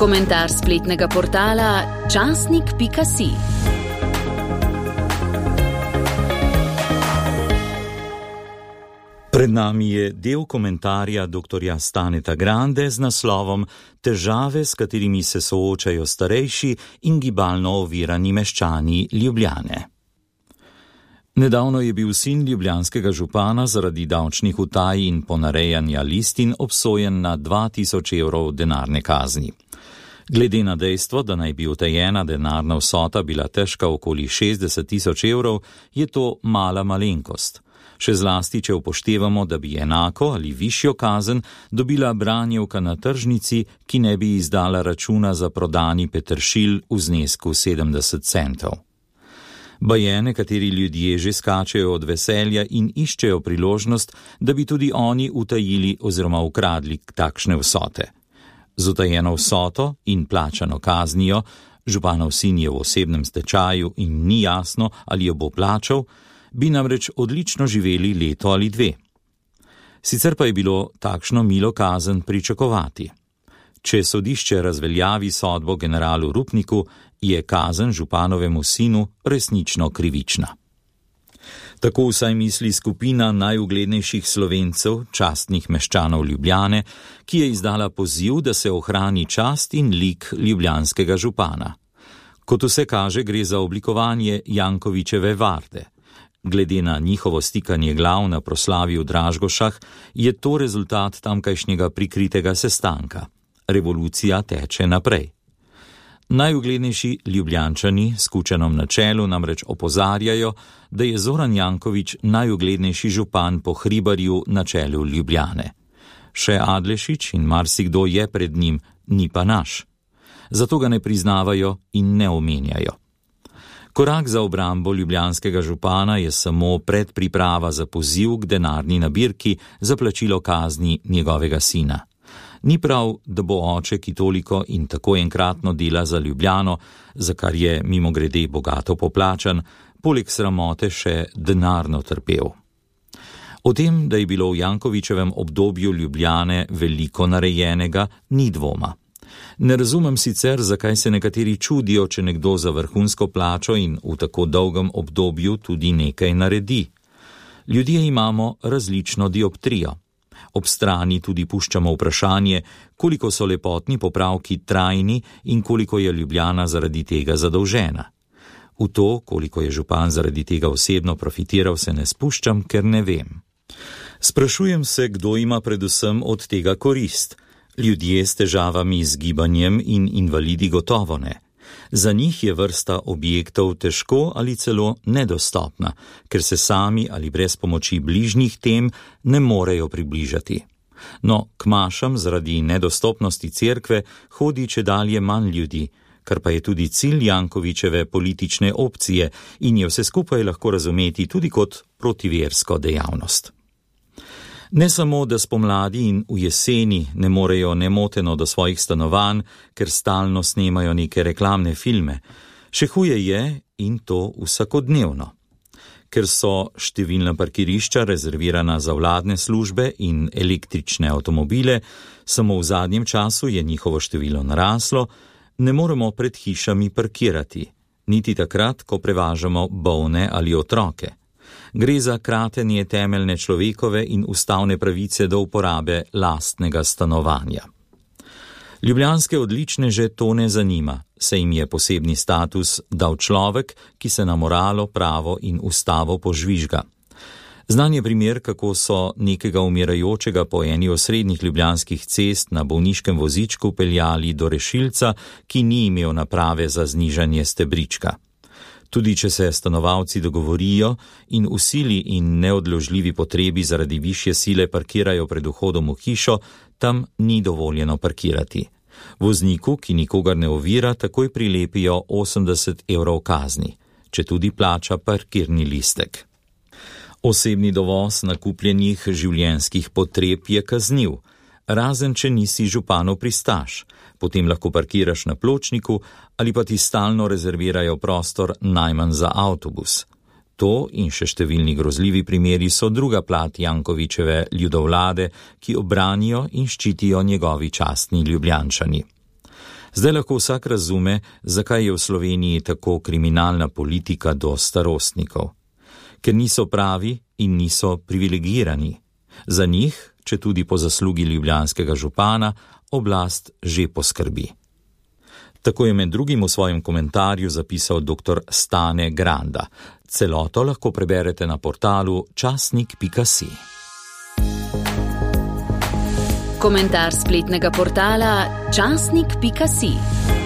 Komentar spletnega portala časnik.si. Pred nami je del komentarja dr. Staneta Grande z naslovom Težave, s katerimi se soočajo starejši in gibalno ovirani meščani Ljubljane. Nedavno je bil sin ljubljanskega župana zaradi davčnih utaj in ponarejanja listin obsojen na 2000 evrov denarne kazni. Glede na dejstvo, da naj bi utajena denarna vsota bila težka okoli 60 000 evrov, je to mala malenkost. Še zlasti, če upoštevamo, da bi enako ali višjo kazen dobila branjevka na tržnici, ki ne bi izdala računa za prodani peteršilj v znesku 70 centov. Baje nekateri ljudje že skačejo od veselja in iščejo priložnost, da bi tudi oni utajili oziroma ukradli takšne vsote. Z utajeno vsoto in plačano kaznijo, županov sin je v osebnem stečaju in ni jasno, ali jo bo plačal, bi namreč odlično živeli leto ali dve. Sicer pa je bilo takšno milo kazen pričakovati. Če sodišče razveljavi sodbo generalu Rupniku, je kazen županovemu sinu resnično krivična. Tako vsaj misli skupina najuglednejših Slovencev, častnih meščanov Ljubljane, ki je izdala poziv, da se ohrani čast in lik ljubljanskega župana. Kot vse kaže, gre za oblikovanje Jankovićeve varde. Glede na njihovo stikanje glav na proslavi v Dražgošah, je to rezultat tamkajšnjega prikritega sestanka. Revolucija teče naprej. Najuglednejši Ljubljančani s Kučanom na čelu namreč opozarjajo, da je Zoran Janković najuglednejši župan po Hribarju na čelu Ljubljane. Še Adlešič in marsikdo je pred njim, ni pa naš. Zato ga ne priznavajo in ne omenjajo. Korak za obrambo ljubljanskega župana je samo predpriprava za poziv k denarni nabirki za plačilo kazni njegovega sina. Ni prav, da bo oče, ki toliko in tako enkratno dela za Ljubljano, za kar je mimogrede bogato poplačan, poleg sramote še denarno trpel. O tem, da je bilo v Jankovićevem obdobju Ljubljane veliko narejenega, ni dvoma. Ne razumem sicer, zakaj se nekateri čudijo, če nekdo za vrhunsko plačo in v tako dolgem obdobju tudi nekaj naredi. Ljudje imamo različno dioptrijo. Ob strani tudi puščamo vprašanje, koliko so lepotni popravki trajni in koliko je Ljubljana zaradi tega zadolžena. V to, koliko je župan zaradi tega osebno profitiral, se ne spuščam, ker ne vem. Sprašujem se, kdo ima predvsem od tega korist. Ljudje s težavami z gibanjem in invalidi gotovo ne. Za njih je vrsta objektov težko ali celo nedostopna, ker se sami ali brez pomoči bližnjih tem ne morejo približati. No, k mašam zaradi nedostopnosti cerkve hodi čedalje manj ljudi, kar pa je tudi cilj Jankovićeve politične opcije in je vse skupaj lahko razumeti tudi kot protiversko dejavnost. Ne samo, da spomladi in v jeseni ne morejo nemoteno do svojih stanovanj, ker stalno snemajo neke reklamne filme, še huje je in to vsakodnevno. Ker so številna parkirišča rezervirana za vladne službe in električne avtomobile, samo v zadnjem času je njihovo število naraslo, ne moremo pred hišami parkirati, niti takrat, ko prevažamo bolne ali otroke. Gre za kratenje temeljne človekove in ustavne pravice do uporabe lastnega stanovanja. Ljubljanske odličneže to ne zanima, saj jim je posebni status dal človek, ki se na moralo, pravo in ustavo požvižga. Znan je primer, kako so nekega umirajočega po eni osrednjih ljubljanskih cest na bolniškem vozičku peljali do rešilca, ki ni imel naprave za znižanje stebrička. Tudi če se stanovalci dogovorijo in v sili in neodložljivi potrebi zaradi višje sile parkirajo pred vhodom v hišo, tam ni dovoljeno parkirati. Vozniku, ki nikogar ne ovira, takoj prilepijo 80 evrov kazni, če tudi plača parkirni listek. Osebni dovoz nakupljenih življenjskih potreb je kazniv, razen če nisi županov pristaš, potem lahko parkiraš na pločniku ali pa ti stalno rezervirajo prostor najmanj za avtobus. To in še številni grozljivi primeri so druga plat Jankovićeve ljudovlade, ki obranijo in ščitijo njegovi častni Ljubljančani. Zdaj lahko vsak razume, zakaj je v Sloveniji tako kriminalna politika do starostnikov. Ker niso pravi in niso privilegirani. Za njih, če tudi po zaslugi ljubljanskega župana, oblast že poskrbi. Tako je med drugim v svojem komentarju zapisal dr. Stane Granda. Celoto lahko preberete na portalu časnik.si. Komentar spletnega portala časnik.si.